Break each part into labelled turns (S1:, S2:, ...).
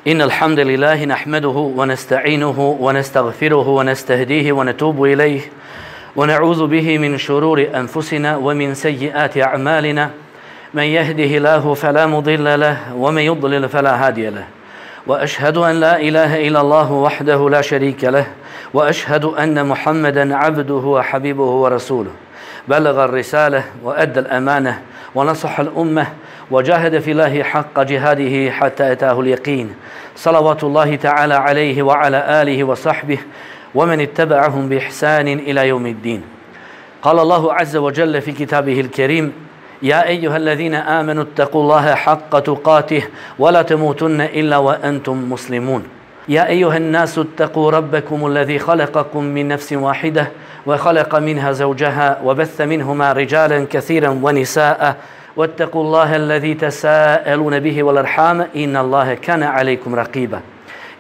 S1: إن الحمد لله نحمده ونستعينه ونستغفره ونستهديه ونتوب إليه ونعوذ به من شرور أنفسنا ومن سيئات أعمالنا من يهده الله فلا مضل له ومن يضلل فلا هادي له وأشهد أن لا إله إلا الله وحده لا شريك له وأشهد أن محمدا عبده وحبيبه ورسوله بلغ الرسالة وأدى الأمانة ونصح الأمة وجاهد في الله حق جهاده حتى أتاه اليقين صلوات الله تعالى عليه وعلى آله وصحبه ومن اتبعهم بإحسان إلى يوم الدين. قال الله عز وجل في كتابه الكريم: يا أيها الذين آمنوا اتقوا الله حق تقاته ولا تموتن إلا وأنتم مسلمون. يا أيها الناس اتقوا ربكم الذي خلقكم من نفس واحدة وخلق منها زوجها وبث منهما رجالا كثيرا ونساء واتقوا الله الذي تساءلون به والأرحام إن الله كان عليكم رقيبا.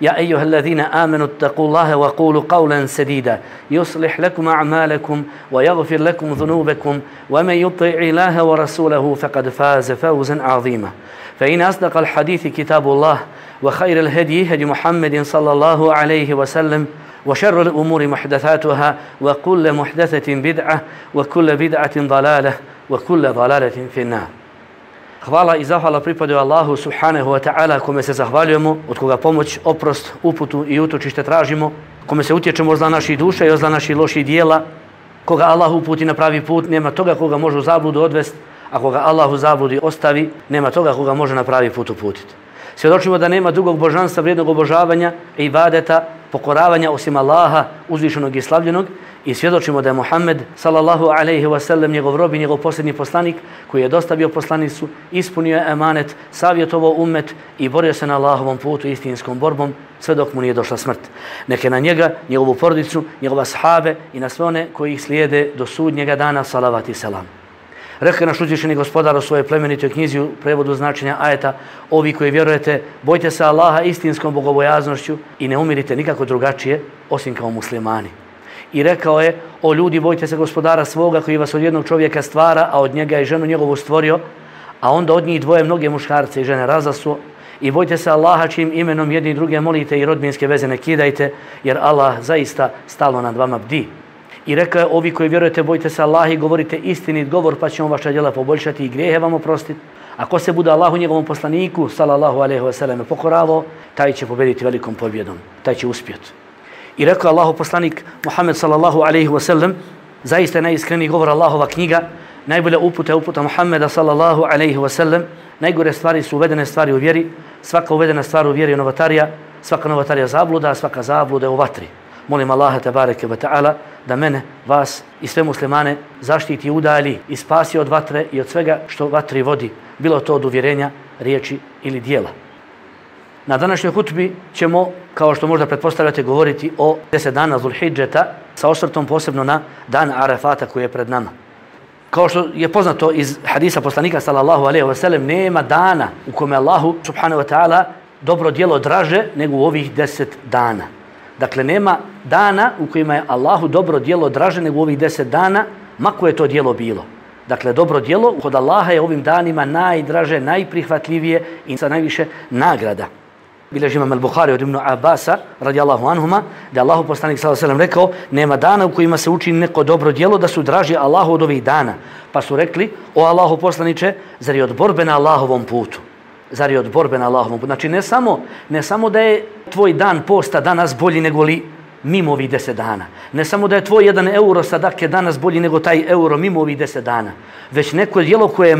S1: يا أيها الذين آمنوا اتقوا الله وقولوا قولا سديدا يصلح لكم أعمالكم ويغفر لكم ذنوبكم ومن يطع الله ورسوله فقد فاز فوزا عظيما. فإن أصدق الحديث كتاب الله وخير الهدي هدي محمد صلى الله عليه وسلم وشر الأمور محدثاتها وكل محدثة بدعة وكل بدعة ضلالة وكل ضلالة في النار. Hvala i zahvala pripadaju Allahu subhanahu wa ta'ala, kome se zahvaljujemo, od koga pomoć, oprost, uputu i utočište tražimo, kome se utječemo od zla naših duša i od zla naših loših dijela. Koga Allah uputi na pravi put, nema toga koga može u zabludu odvesti, a koga Allah u zabludi ostavi, nema toga koga može na pravi put uputiti. Svjedočimo da nema drugog božanstva, vrijednog obožavanja i ibadeta, pokoravanja osim Allaha, uzvišenog i slavljenog, i svjedočimo da je Muhammed sallallahu alejhi ve sellem njegov rob i njegov posljednji poslanik koji je dostavio poslanicu, ispunio je emanet, savjetovao ummet i borio se na Allahovom putu istinskom borbom sve dok mu nije došla smrt. Neke na njega, njegovu porodicu, njegova ashabe i na sve one koji ih slijede do sudnjega dana salavat i selam. Rekao je naš uzvišeni gospodar u svojoj plemenitoj knjizi u prevodu značenja ajeta: ovi koji vjerujete, bojte se Allaha istinskom bogobojaznošću i ne umirite nikako drugačije osim kao muslimani. I rekao je: o ljudi, bojte se gospodara svoga koji vas od jednog čovjeka stvara, a od njega i ženu njegovu stvorio, a onda od njih dvoje mnoge muškarce i žene razasuo. I bojte se Allaha čijim imenom jedni druge molite i rodbinske veze ne kidajte, jer Allah zaista stalno nad vama bdi. I rekao je: ovi koji vjerujete, bojte se Allaha i govorite istinit govor, pa će on vaša djela poboljšati i grijehe vam oprostiti. Ako se bude Allahu njegovom poslaniku sallallahu alejhi ve selleme pokoravao, taj će pobediti velikom pobjedom, taj će uspjeti. I rekao Allahu poslanik Muhammed sallallahu alejhi ve sellem: zaista najiskreniji govor Allahova knjiga, najbolja uputa je uputa Muhammeda sallallahu alejhi ve sellem. Najgore stvari su uvedene stvari u vjeri, svaka uvedena stvar u vjeri je novotarija, svaka novotarija zabluda, a svaka zabluda je u vatri. Molim Allaha tebareke ve ta'ala da mene, vas i sve muslimane zaštiti i udalji i spasi od vatre i od svega što vatri vodi, bilo to od uvjerenja, riječi ili dijela. Na današnjoj hutbi ćemo, kao što možda pretpostavljate, govoriti o 10 dana Zulhidžeta sa osvrtom posebno na dan Arafata koji je pred nama. Kao što je poznato iz hadisa poslanika sallallahu alejhi ve sellem, nema dana u kome Allahu subhanahu wa ta'ala dobro djelo draže nego u ovih 10 dana. Dakle, nema dana u kojima je Allahu dobro djelo draže nego u ovih 10 dana, ma koje to djelo bilo. Dakle, dobro djelo kod Allaha je ovim danima najdraže, najprihvatljivije i sa najviše nagrada. Bilježi imam al-Bukhari od Ibn Abasa radijallahu anhuma da Allahu poslanik sallallahu alejhi ve sellem rekao: nema dana u kojima se učini neko dobro djelo da su draži Allahu od ovih dana. Pa su rekli: o Allahu poslaniče, zar je od borbe na Allahovom putu? Zar je od borbe na Allahovom putu? Znači, ne samo da je tvoj dan posta danas bolji nego li mimo ovih 10 dana. Ne samo da je tvoj 1 euro sadake danas bolji nego taj euro mimo ovih 10 dana. Već neko djelo koje je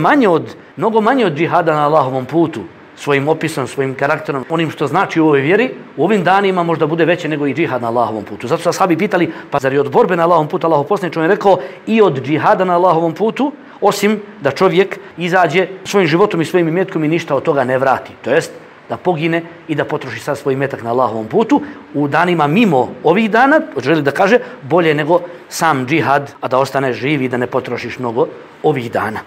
S1: mnogo manje od džihada na Allahovom putu, svojim opisom, svojim karakterom, onim što znači u ovoj vjeri, u ovim danima možda bude veće nego i džihad na Allahovom putu. Zato su ashabi pitali: pa zar je od borbe na Allahovom putu? Allahov poslanik je rekao: i od džihada na Allahovom putu, osim da čovjek izađe svojim životom i svojim imetkom i ništa od toga ne vrati. To jest da pogine i da potroši sad svoj imetak na Allahovom putu. U danima mimo ovih dana, želi da kaže, bolje nego sam džihad, a da ostaneš živ i da ne potrošiš mnogo ovih dana.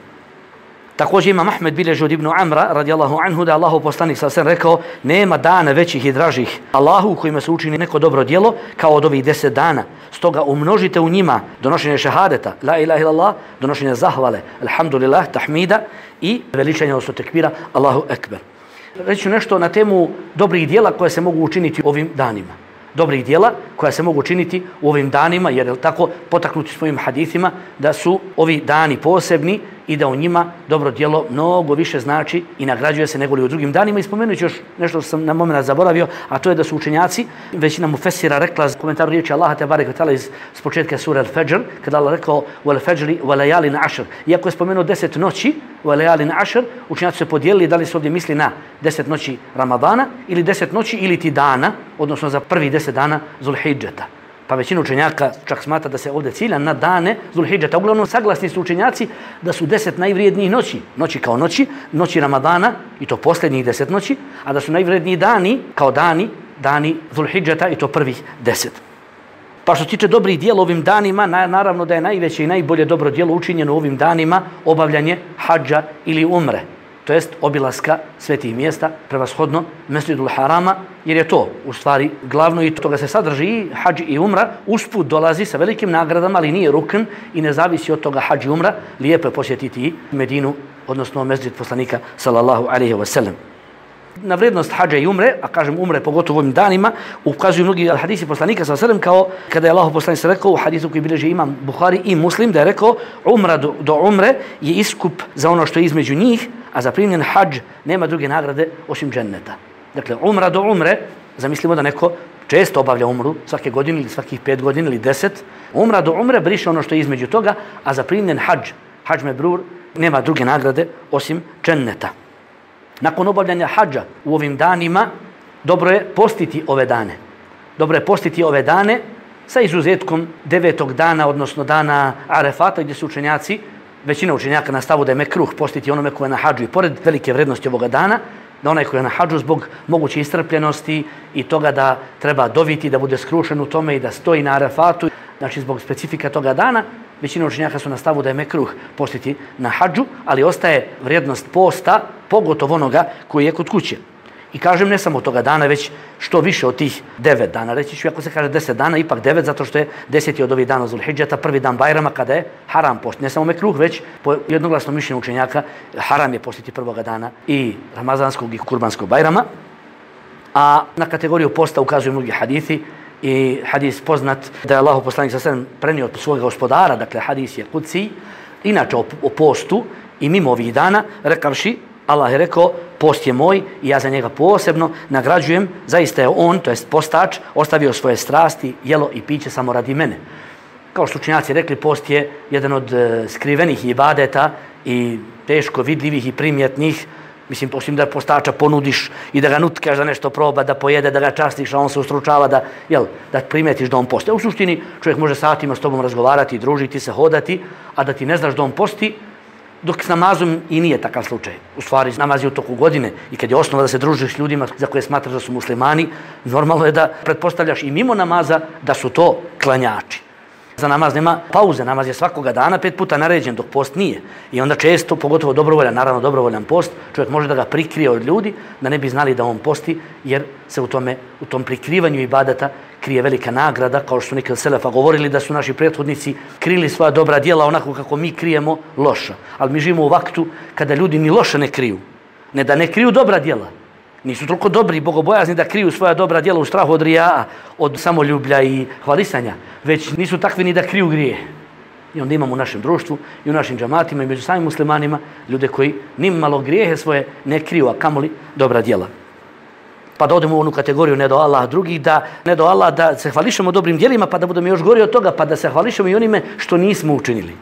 S1: Također Imam Ahmed bilježi od Ibn Amra radijallahu anhu da Allahov poslanik sallallahu alejhi ve sellem rekao: nema dana većih i dražih Allahu u kojima se učini neko dobro djelo kao od ovih 10 dana. Stoga umnožite u njima donošenje šehadeta, la ilaha illallah, donošenje zahvale, alhamdulillah, tahmida i veličanje odnosno tekbira, Allahu ekber. reći nešto na temu dobrih djela koje se mogu učiniti ovim danima. Dobrih djela koja se mogu učiniti u ovim danima, jer je tako potaknuti svojim hadithima da su ovi dani posebni i da u njima dobro djelo mnogo više znači i nagrađuje se nego li u drugim danima. I spomenut ću još nešto što sam na moment zaboravio, a to je da su učenjaci, većina mufesira rekla komentaru riječi Allaha tebarek ve taala s početka sure Al-Fajr, kada Allah rekao wal fajri wa layalin ashr. Iako je spomenuo 10 noći, wa layalin ashr, učenjaci su podijelili da li se ovdje misli na 10 noći Ramadana ili 10 noći ili ti dana, odnosno za prvi 10 dana Zulhidžeta. Pa većina učenjaka čak smatra da se ovdje cilja na dane Zulhidžeta. Uglavnom saglasni su učenjaci da su 10 najvrijednijih noći. Noći kao noći Ramadana i to posljednjih 10 noći, a da su najvrijedniji dani kao dani Zulhidžeta i to prvih 10. Pa što se tiče dobrih djela ovim danima, naravno da je najveće i najbolje dobro djelo učinjeno u ovim danima obavljanje hadža ili umre. To jest obilaska svetih mjesta, prevashodno Mesdžidul Harama, jer je to u stvari glavno i toga se sadrži i hadž i umra. Usput dolazi sa velikim nagradama, ali nije rukn i ne zavisi od toga hadž i umra. Lijepo je posjetiti i Medinu, odnosno Mesdžid poslanika sallallahu alejhi ve sellem. Na vrijednost hadža i umre, a kažem umre pogotovo u ovim danima, ukazuju mnogi hadisi poslanika sallallahu alejhi ve sellem, kao kada je Allahov poslanik rekao u hadisu koji bilježi imam Buhari i Muslim, da je rekao umra do umre je iskup za ono što je između njih, a za primljen hadž nema druge nagrade osim dženneta. Dakle, umra do umre, zamislimo da neko često obavlja umru, svake godine ili svakih 5 godina ili 10, umra do umre briše ono što je između toga, a za primljen hadž mebrur, nema druge nagrade osim dženneta. Nakon obavljanja hadža u ovim danima, dobro je postiti ove dane. Dobro je postiti ove dane sa izuzetkom 9. dana, odnosno dana Arefata, gdje su učenjaci, većina učenjaka na stavu da je mekruh postiti onome ko je na hadžu i pored velike vrednosti ovoga dana, da onaj ko je na hadžu zbog moguće istrpljenosti i toga da treba doviti, da bude skrušen u tome i da stoji na Arefatu, znači zbog specifika toga dana, većina učenjaka su na stavu da je mekruh postiti na hadžu, ali ostaje vrijednost posta, pogotovo onoga koji je kod kuće. I kažem ne samo toga dana, već što više od tih 9 dana. Reći ću, ako se kaže 10 dana, ipak 9, zato što je 10. od ovih dana Zulhidžeta, prvi dan Bajrama, kada je haram post. Ne samo mekruh, već po jednoglasnom mišljenju učenjaka, haram je postiti prvoga dana i Ramazanskog i Kurbanskog Bajrama. A na kategoriju posta ukazuju mnogi hadithi, i hadis poznat da je Allahov poslanik sallallahu alejhi ve sellem prenio od svojeg gospodara, dakle hadis je kudsi, inače o postu i mimo ovih dana, rekavši, Allah je rekao, post je moj i ja za njega posebno nagrađujem, zaista je on, to jest postač, ostavio svoje strasti, jelo i piće samo radi mene. Kao što učenjaci rekli, post je jedan od skrivenih ibadeta i teško vidljivih i primjetnih. Mislim, osim da postača ponudiš i da ga nutkaš da nešto proba, da pojede, da ga častiš, a on se ustručava da primetiš da on posti. U suštini čovjek može satima s tobom razgovarati, družiti se, hodati, a da ti ne znaš da on posti, dok s namazom i nije takav slučaj. U stvari, namaz je u toku godine i kad je osnova da se družiš s ljudima za koje smatraš da su muslimani, normalno je da pretpostavljaš i mimo namaza da su to klanjači. Za namaz nema pauze, namaz je svakoga dana 5 puta naređen, dok post nije. I onda često, pogotovo dobrovoljan, naravno dobrovoljan post, čovjek može da ga prikrije od ljudi, da ne bi znali da on posti, jer se u tom prikrivanju ibadata krije velika nagrada, kao što su neki od selefa govorili da su naši prethodnici krili svoja dobra djela onako kako mi krijemo loša. Ali mi živimo u vaktu kada ljudi ni loše ne kriju. Ne da ne kriju dobra djela. Nisu toliko dobri i bogobojazni da kriju svoja dobra djela u strahu od rijaa, od samoljublja i hvalisanja, već nisu takvi ni da kriju grije. I onda imamo u našem društvu i u našim džamatima i među samim muslimanima ljude koji nimalo grijehe svoje ne kriju, a kamoli dobra djela. Pa da odemo u onu kategoriju ne do Allah drugih, ne do Allah da se hvališemo dobrim djelima, pa da budemo još gori od toga, pa da se hvališemo i onime što nismo učinili.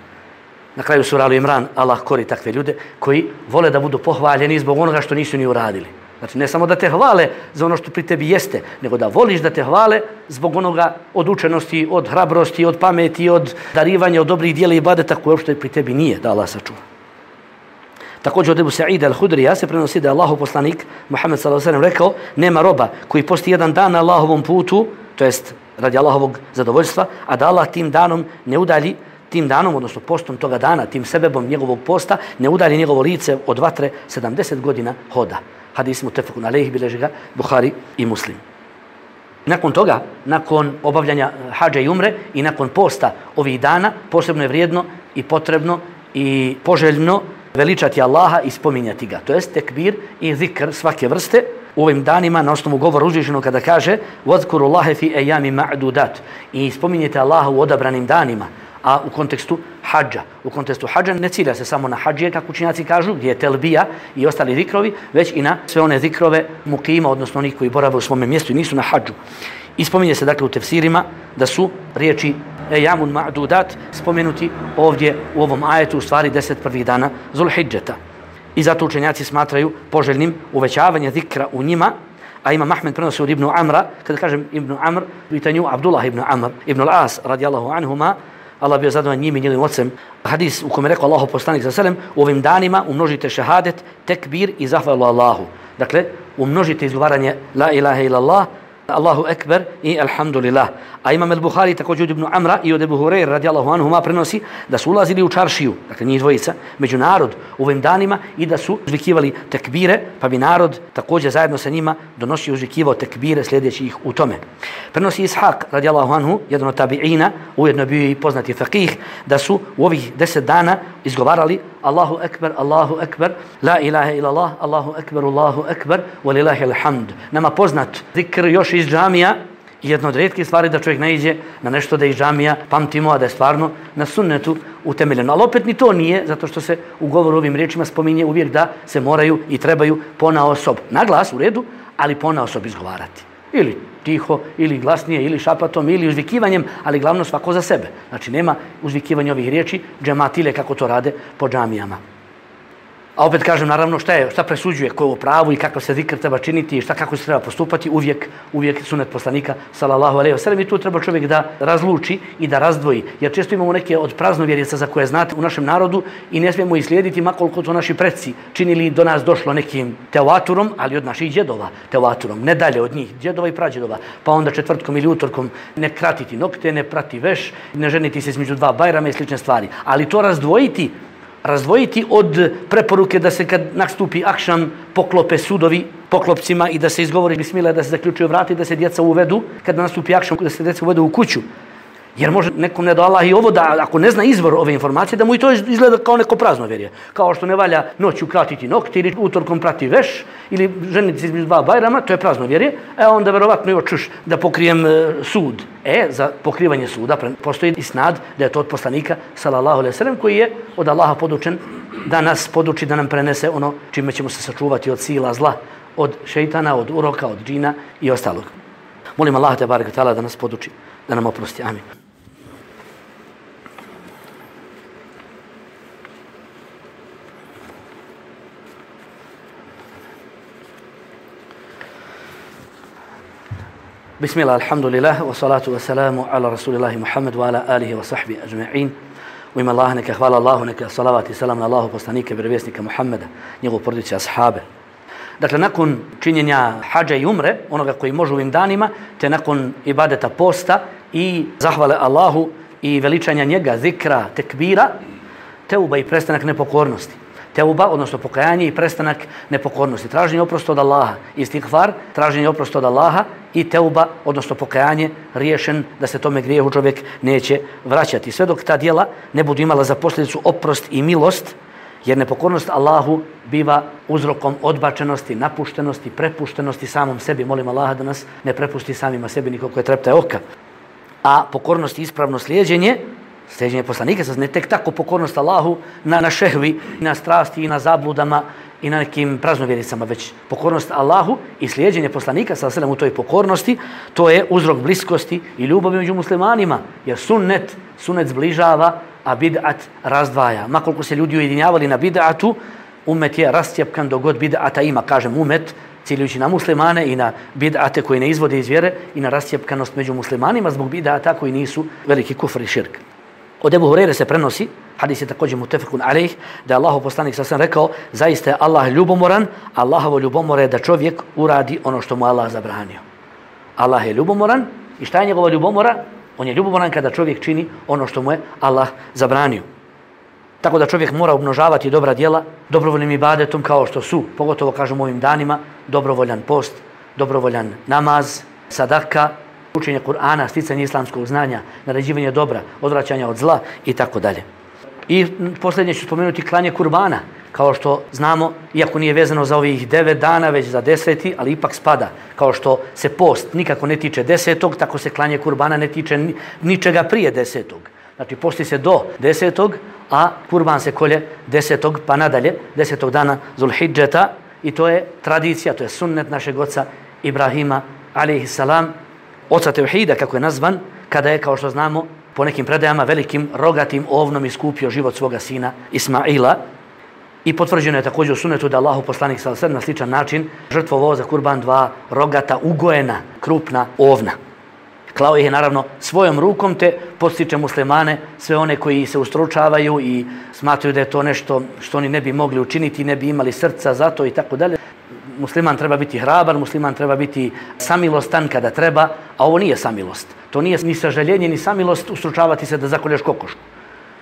S1: Na kraju sura Al-Imran Allah kori takve ljude koji vole da budu pohvaljeni zbog onoga što nisu ni uradili. Znači, ne samo da te hvale za ono što pri tebi jeste, nego da voliš da te hvale zbog onoga od učenosti, od hrabrosti, od pameti, od darivanja, od dobrih dijela i ibadeta koje uopšte pri tebi nije, da Allah sačuva. Također od Ebu Sa'ida al-Hudrija se prenosi da je Allahov poslanik Muhammed sallallahu alejhi ve sellem rekao: nema roba koji posti jedan dan na Allahovom putu, to jest radi Allahovog zadovoljstva, a da Allah tim danom ne udalji, tim danom, odnosno postom toga dana, tim sebebom njegovog posta, ne udalji njegovo lice od vatre 70 godina hoda. Hadis mutefekun alejhi, bilježi ga Buhari i Muslim. Nakon toga, nakon obavljanja hadža i umre i nakon posta ovih dana, posebno je vrijedno i potrebno i poželjno veličati Allaha i spominjati ga. To jest tekbir i zikr svake vrste u ovim danima na osnovu govora uzvišenog kada kaže وَذْكُرُ اللَّهَ فِي أَيَّامِ مَعْدُودَاتِ i spominjete Allaha u odabranim danima. A u kontekstu hadža. U kontekstu hadža ne cilja se samo na hadžije, kako učenjaci kažu, gdje je telbija i ostali zikrovi, već i na sve one zikrove mukima, odnosno onih koji borave u svome mjestu i nisu na hadžu. I spominje se dakle u tefsirima da su riječi ejamun ma'dudat spomenuti ovdje u ovom ajetu u stvari 10 prvih dana Zulhidžeta. I zato učenjaci smatraju poželjnim uvećavanje zikra u njima, a Imam Ahmed prenosi od Ibnu Amra, kada kažem Ibnu Amr, u pitanju Abdullah ibn Amr, ibn al-As radijallahu anhuma, Allah bio zadovoljan njim i njegovim ocem. Hadis u kome rekao Allahu poslanik sallallahu alejhi ve sellem, u ovim danima umnožite šehadet, tekbir i zahvalu Allahu. Dakle, umnožite izgovaranje la ilaha illallah, Allahu ekber i alhamdulillah. A Imam al-Buhari također od Ibn Amra i od Ebu Hureyre radijallahu anhuma prenosi da su ulazili u čaršiju, dakle njih dvojica, među narod u ovim danima i da su uzvikivali tekbire, pa bi narod također zajedno sa njima donosio uzvikivao tekbire sljedeći ih u tome. Prenosi Ishaq radijallahu anhu, jedan od tabi'ina, ujedno bio i poznati faqih, da su u ovih 10 dana izgovarali Allahu ekber, la ilaha illallah, Allahu ekber, walillahi alhamd. Nama poznat zikr još iz džamija, jedna od rijetkih stvari da čovjek naiđe na nešto da iz džamija pamtimo, a da je stvarno na sunnetu utemeljeno. Ali opet ni to nije, zato što se u govoru ovim riječima spominje uvijek da se moraju i trebaju ponaosob, na glas u redu, ali ponaosob izgovarati. Ili tiho, ili glasnije, ili šapatom, ili uzvikivanjem, ali glavno svako za sebe. Znači nema uzvikivanja ovih riječi džematile kako to rade po džamijama. A opet kažem, naravno, šta presuđuje, ko je u pravu i kakav se zikr treba činiti i kako se treba postupati, uvijek sunet poslanika, sallallahu alejhi ve sellem, i tu treba čovjek da razluči i da razdvoji. Jer često imamo neke od praznovjerica za koje znate u našem narodu i ne smijemo ih slijediti makoliko to naši preci činili do nas došlo nekim tevaturom, ali od naših djedova tevaturom, ne dalje od njih, djedova i prađedova. Pa onda četvrtkom ili utorkom ne kratiti nokte, ne prati veš, ne ženiti se između dva bajrama i slične stvari. Ali to razdvojiti od preporuke da se kad nastupi akšam poklope sudovi poklopcima i da se izgovori bismillah, da se zaključuju vrati, da se djeca uvedu, kad nastupi akšam, da se djeca uvedu u kuću. Jer može nekom ne da Allah i ovo da, ako ne zna izvor ove informacije, da mu i to izgleda kao neko praznovjerje. Kao što ne valja noću kratiti nokti ili utorkom prati veš ili ženiti se između dva bajrama, to je praznovjerje. Onda verovatno još čuš da pokrijem sud. Za pokrivanje suda postoji isnad da je to od poslanika, sallallahu alejhi ve sellem, koji je od Allaha podučen da nas poduči, da nam prenese ono čime ćemo se sačuvati od sila zla, od šejtana, od uroka, od džina i ostalog. Molim Allaha te barek ve taala da nas poduči, da nam oprosti. Amin. Bismillah, alhamdulillah, wa salatu wa salamu ala rasulillahi Muhammad wa ala alihi wa sahbihi ajma'in. U ime Allah, neka hvala Allahu, neka salavat i salam na Allahu poslanika, vjerovjesnika Muhammada, njegovu porodicu ashabe. Dakle, nakon činjenja hadža i umre, onoga koji može u ovim danima, te nakon ibadeta posta i zahvale Allahu i veličanja njega, zikra, tekbira, teuba i prestanak nepokornosti. Teuba, odnosno pokajanje i prestanak nepokornosti. Traženje oprosta od Allaha. Istighfar, traženje oprosta od Allaha i teuba, odnosno pokajanje, riješen da se tome grijehu čovjek neće vraćati. Sve dok ta djela ne budu imala za posljedicu oprost i milost, jer nepokornost Allahu biva uzrokom odbačenosti, napuštenosti, prepuštenosti samom sebi. Molim Allaha da nas ne prepusti samima sebi nikoliko je treptaj oka. A pokornost i ispravno slijeđenje poslanika, ne tek tako pokornost Allahu na šehvi, na strasti i na zabludama i na nekim praznovjericama, već pokornost Allahu i slijeđenje poslanika sallallahu u toj pokornosti, to je uzrok bliskosti i ljubavi među muslimanima, jer sunnet zbližava, a bid'at razdvaja. Makoliko se ljudi ujedinjavali na bid'atu, umet je rascijepkan dok god bid'ata ima, kažem umet, ciljujući na muslimane i na bid'ate koji ne izvode iz vjere i na rascijepkanost među muslimanima zbog bid'ata koji nisu veliki kufr i širk. Od Ebu Hureyre se prenosi, hadis je također mutefekun alejh, da je Allahov poslanik sallallahu rekao, zaista je Allah ljubomoran, Allahovo ljubomora je da čovjek uradi ono što mu Allah zabranio. Allah je ljubomoran i šta je njegova ljubomora? On je ljubomoran kada čovjek čini ono što mu je Allah zabranio. Tako da čovjek mora umnožavati dobra djela dobrovoljnim ibadetom kao što su, pogotovo kažem u ovim danima, dobrovoljan post, dobrovoljan namaz, sadaka, učenje Kur'ana, sticanje islamskog znanja, naređivanje dobra, odvraćanja od zla i tako dalje. I posljednje ću spomenuti klanje kurbana. kao što znamo, iako nije vezano za ovih 9 dana, već za 10, ali ipak spada. Kao što se post nikako ne tiče 10, tako se klanje kurbana ne tiče ničega prije 10. Znači, posti se do 10, a kurban se kolje 10. pa nadalje, 10. dana Zulhidžeta, i to je tradicija, to je sunnet našeg oca Ibrahima, alejhissalam, oca tevhida, kako je nazvan, kada je, kao što znamo, po nekim predajama velikim rogatim ovnom iskupio život svoga sina Ismaila. I potvrđeno je također u sunnetu da Allahu poslanik sallallahu alejhi ve sellem na sličan način žrtvovao za kurban 2 rogata ugojena krupna ovna. Klao ih je naravno svojom rukom, te podstiče muslimane, sve one koji se ustručavaju i smatraju da je to nešto što oni ne bi mogli učiniti, ne bi imali srca za to i tako dalje. Musliman treba biti hrabar, musliman treba biti samilostan kada treba, a ovo nije samilost. To nije ni sažaljenje, ni samilost ustručavati se da zakolješ kokošku.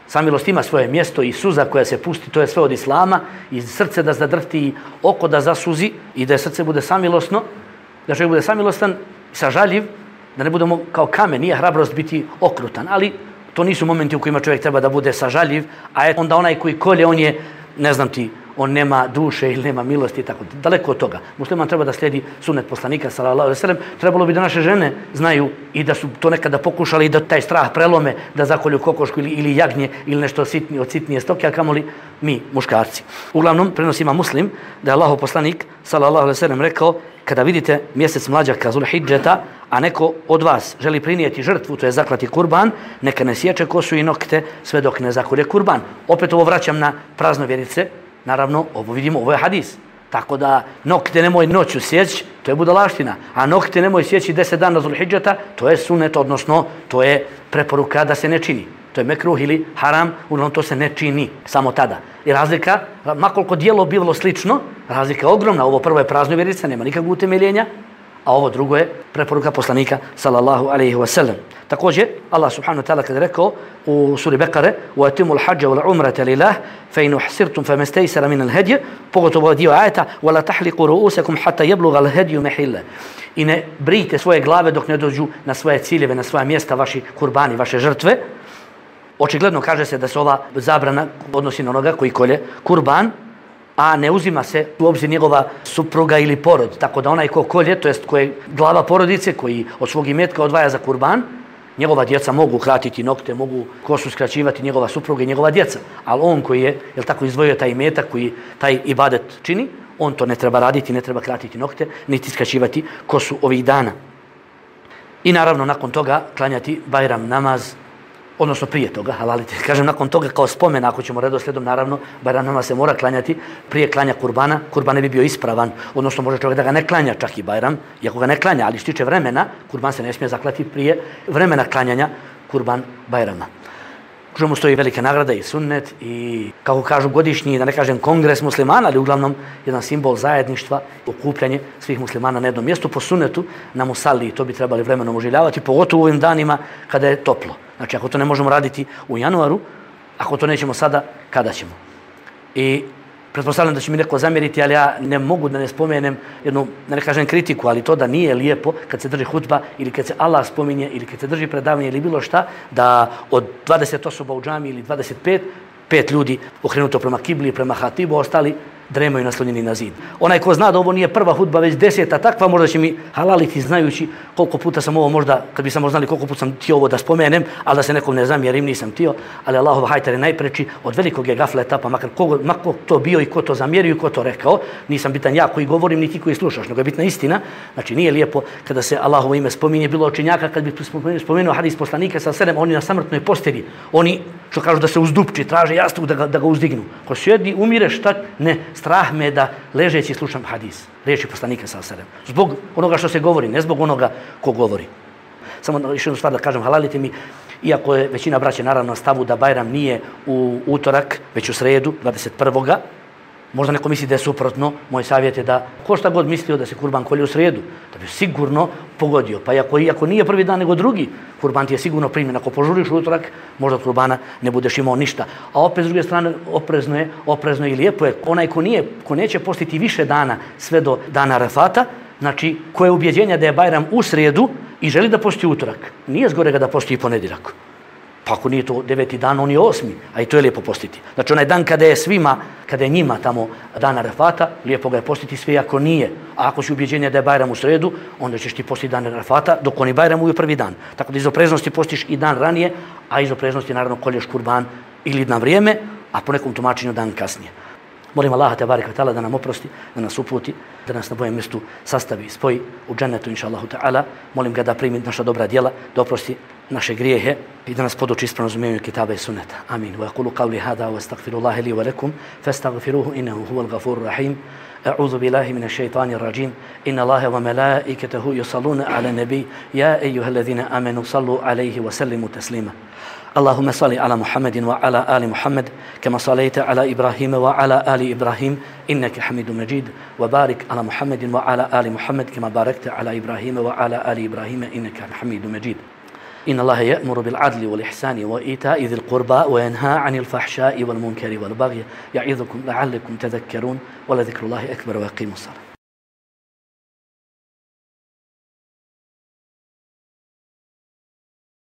S1: Samilost ima svoje mjesto i suza koja se pusti, to je sve od islama, i srce da zadrhti, i oko da zasuzi, i da srce bude samilosno, da čovjek bude samilostan, sažaljiv, da ne budemo kao kamen, nije hrabrost biti okrutan, ali to nisu momenti u kojima čovjek treba da bude sažaljiv, a onda onaj koji kolje, on je, ne znam ti, on nema duše ili nema milosti i tako. Daleko od toga. Musliman treba da slijedi sunnet poslanika sallallahu alejhi ve sellem. Trebalo bi da naše žene znaju i da su to nekada pokušali i da taj strah prelome, da zakolju kokošku ili jagnje ili nešto od sitnije stoke, a kamoli mi, muškarci. Uglavnom, prenosi ima Muslim da je Allahov poslanik sallallahu alejhi ve sellem rekao: kada vidite mjesec mlađaka Zulhidžeta, a neko od vas želi prinijeti žrtvu, to je zaklati kurban, neka ne sječe kosu i nokte sve dok ne zakolje kurban. Opet ovo vraćam na praznovjerice. Naravno, ovo vidimo, ovo je hadis. Tako da nokte nemoj noću sjeći, to je budalaština. A nokte nemoj sjeći 10 dana Zulhidžeta, to je sunnet, odnosno to je preporuka da se ne čini. To je mekruh ili haram, uglavnom to se ne čini samo tada. I razlika, makoliko dijelo bilo slično, razlika je ogromna. Ovo prvo je praznovjerica, nema nikakvog utemeljenja, a ovo drugo je preporuka poslanika sallallahu alejhi ve sellem. Također, Allah subhanahu wa ta'ala kada rekao u suri Bekare: وَأَتِمُوا الْحَجَّ وَالْعُمْرَةَ لِلَّهِ فَإِنْ أُحْصِرْتُمْ فَمَا اسْتَيْسَرَ مِنَ الْهَدْيِ, pogotovo dio ajeta: وَلَا تَحْلِقُوا رُؤُوسَكُمْ حَتَّى يَبْلُغَ الْهَدْيُ مَحِلَّهُ. I ne brijte svoje glave dok ne dođu na svoje ciljeve, na svoja mjesta, vaši kurbani, vaše žrtve. Očigledno kaže se da se ova zabrana odnosi na onoga koji kolje kurban, a ne uzima se u obzir njegova supruga ili porod. Tako da onaj ko kolje, to jest koji je glava porodice, koji od svog imetka odvaja za kurban, njegova djeca mogu kratiti nokte, mogu kosu skraćivati, njegova supruga i njegova djeca. Ali on koji je, jel tako, izdvojio taj imetak, koji taj ibadet čini, on to ne treba raditi, ne treba kratiti nokte, niti skraćivati kosu ovih dana. I naravno nakon toga klanjati Bajram namaz, odnosno prije toga, halalite. Kažem, nakon toga kao spomen, ako ćemo redoslijedom, naravno, Bajram namaz se mora klanjati prije klanja kurbana. Kurban ne bi bio ispravan, odnosno može čovjek da ga ne klanja čak i Bajram, iako ga ne klanja, ali što tiče vremena, kurban se ne smije zaklati prije vremena klanjanja kurban Bajrama. Što mu stoji velika nagrada i sunnet i, kako kažu, godišnji, da ne kažem kongres muslimana, ali uglavnom jedan simbol zajedništva, okupljanje svih muslimana na jednom mjestu po sunnetu na musalli. To bi trebali vremenom oživljavati, pogotovo u ovim danima kada je toplo. Znači, ako to ne možemo raditi u januaru, ako to nećemo sada, kada ćemo? I pretpostavljam da će mi neko zamjeriti, ali ja ne mogu da ne spomenem jednu, da ne kažem kritiku, ali to da nije lijepo kad se drži hutba ili kad se Allah spominje ili kad se drži predavanje ili bilo šta, da od 20 osoba u džami ili 25, 5 ljudi okrenuto prema kibli, prema hatibu, ostali dremaju naslonjeni na zid. Onaj ko zna da ovo nije prva hudba, već 10 takva, možda će mi halaliti znajući koliko puta sam ovo, možda, kad bi samo znali koliko puta sam htio ovo da spomenem, ali da se nekom ne zamjerim, nisam htio, ali Allahov hajtar je najpreči, od velikog je gafleta, pa makar ko to bio i ko to zamjerio i ko to rekao, nisam bitan ja koji govorim, ni ti koji slušaš, nego je bitna istina. Znači, nije lijepo kada se Allahovo ime spominje, bilo učenjaka, kad bi spomenuo hadis poslanika sa 7, oni na samrtnoj postelji, oni što kažu da se uzdupči, traže jastuk da ga uzdignu. Ko sjedi, umire, šta? Ne, strah me da ležeći slušam hadis, riječi poslanika sallallahu alejhi ve sellem. Zbog onoga što se govori, ne zbog onoga ko govori. Samo još jednu stvar da kažem, halalite mi, iako je većina braće naravno na stavu da Bajram nije u utorak, već u sredu, 21. Možda neko misli da je suprotno, moj savjet je da ko šta god mislio da se kurban kolje u sredu, da bi sigurno pogodio. Pa iako nije prvi dan nego drugi, kurban ti je sigurno primjen. Ako požuriš utorak, možda od kurbana ne budeš imao ništa. A opet s druge strane, oprezno i lijepo je. Onaj ko neće postiti više dana sve do dana Arafata, znači ko je ubjeđenja da je Bajram u sredu i želi da posti utorak, nije zgorega da posti i ponedjeljak. Pa ako nije to 9. dan, on je 8. A i to je lijepo postiti. Znači onaj dan kada je svima, kada je njima tamo dan Arafata, lijepo ga je postiti sve ako nije. A ako si ubjeđenje da je Bajram u sredu, onda ćeš ti postiti dan Arafata, dok oni Bajram u prvi dan. Tako da iz opreznosti postiš i dan ranije, a iz opreznosti naravno kolješ kurban ili na vrijeme, a po nekom tumačenju dan kasnije. Molim Allaha tebareka ta'ala da nam oprosti, da nas uputi, da nas na bojem mjestu sastavi i spoji u džennetu inša Allahu ta'ala. Molim ga da primi naša dobra djela, da oprosti naše grijehe i da nas poduči ispravno razumijevanju kitaba i sunneta. Amin. Wa yaqulu qawli hada wa astaghfirullaha li wa lakum fastaghfiruhu innahu huwal ghafurur rahim. أعوذ بالله من الشيطان الرجيم إن الله وملائكته يصلون على النبي يا أيها الذين آمنوا صلوا عليه وسلموا تسليما اللهم صل على محمد وعلى آل محمد كما صليت على إبراهيم وعلى آل إبراهيم إنك حميد مجيد وبارك على محمد وعلى آل محمد كما باركت على إبراهيم وعلى آل إبراهيم إنك حميد مجيد إن الله يأمر بالعدل والإحسان وإيتاء ذي القربى وينهى عن الفحشاء والمنكر والبغي يعظكم لعلكم تذكرون ولذكر الله أكبر ويقيم الصلاة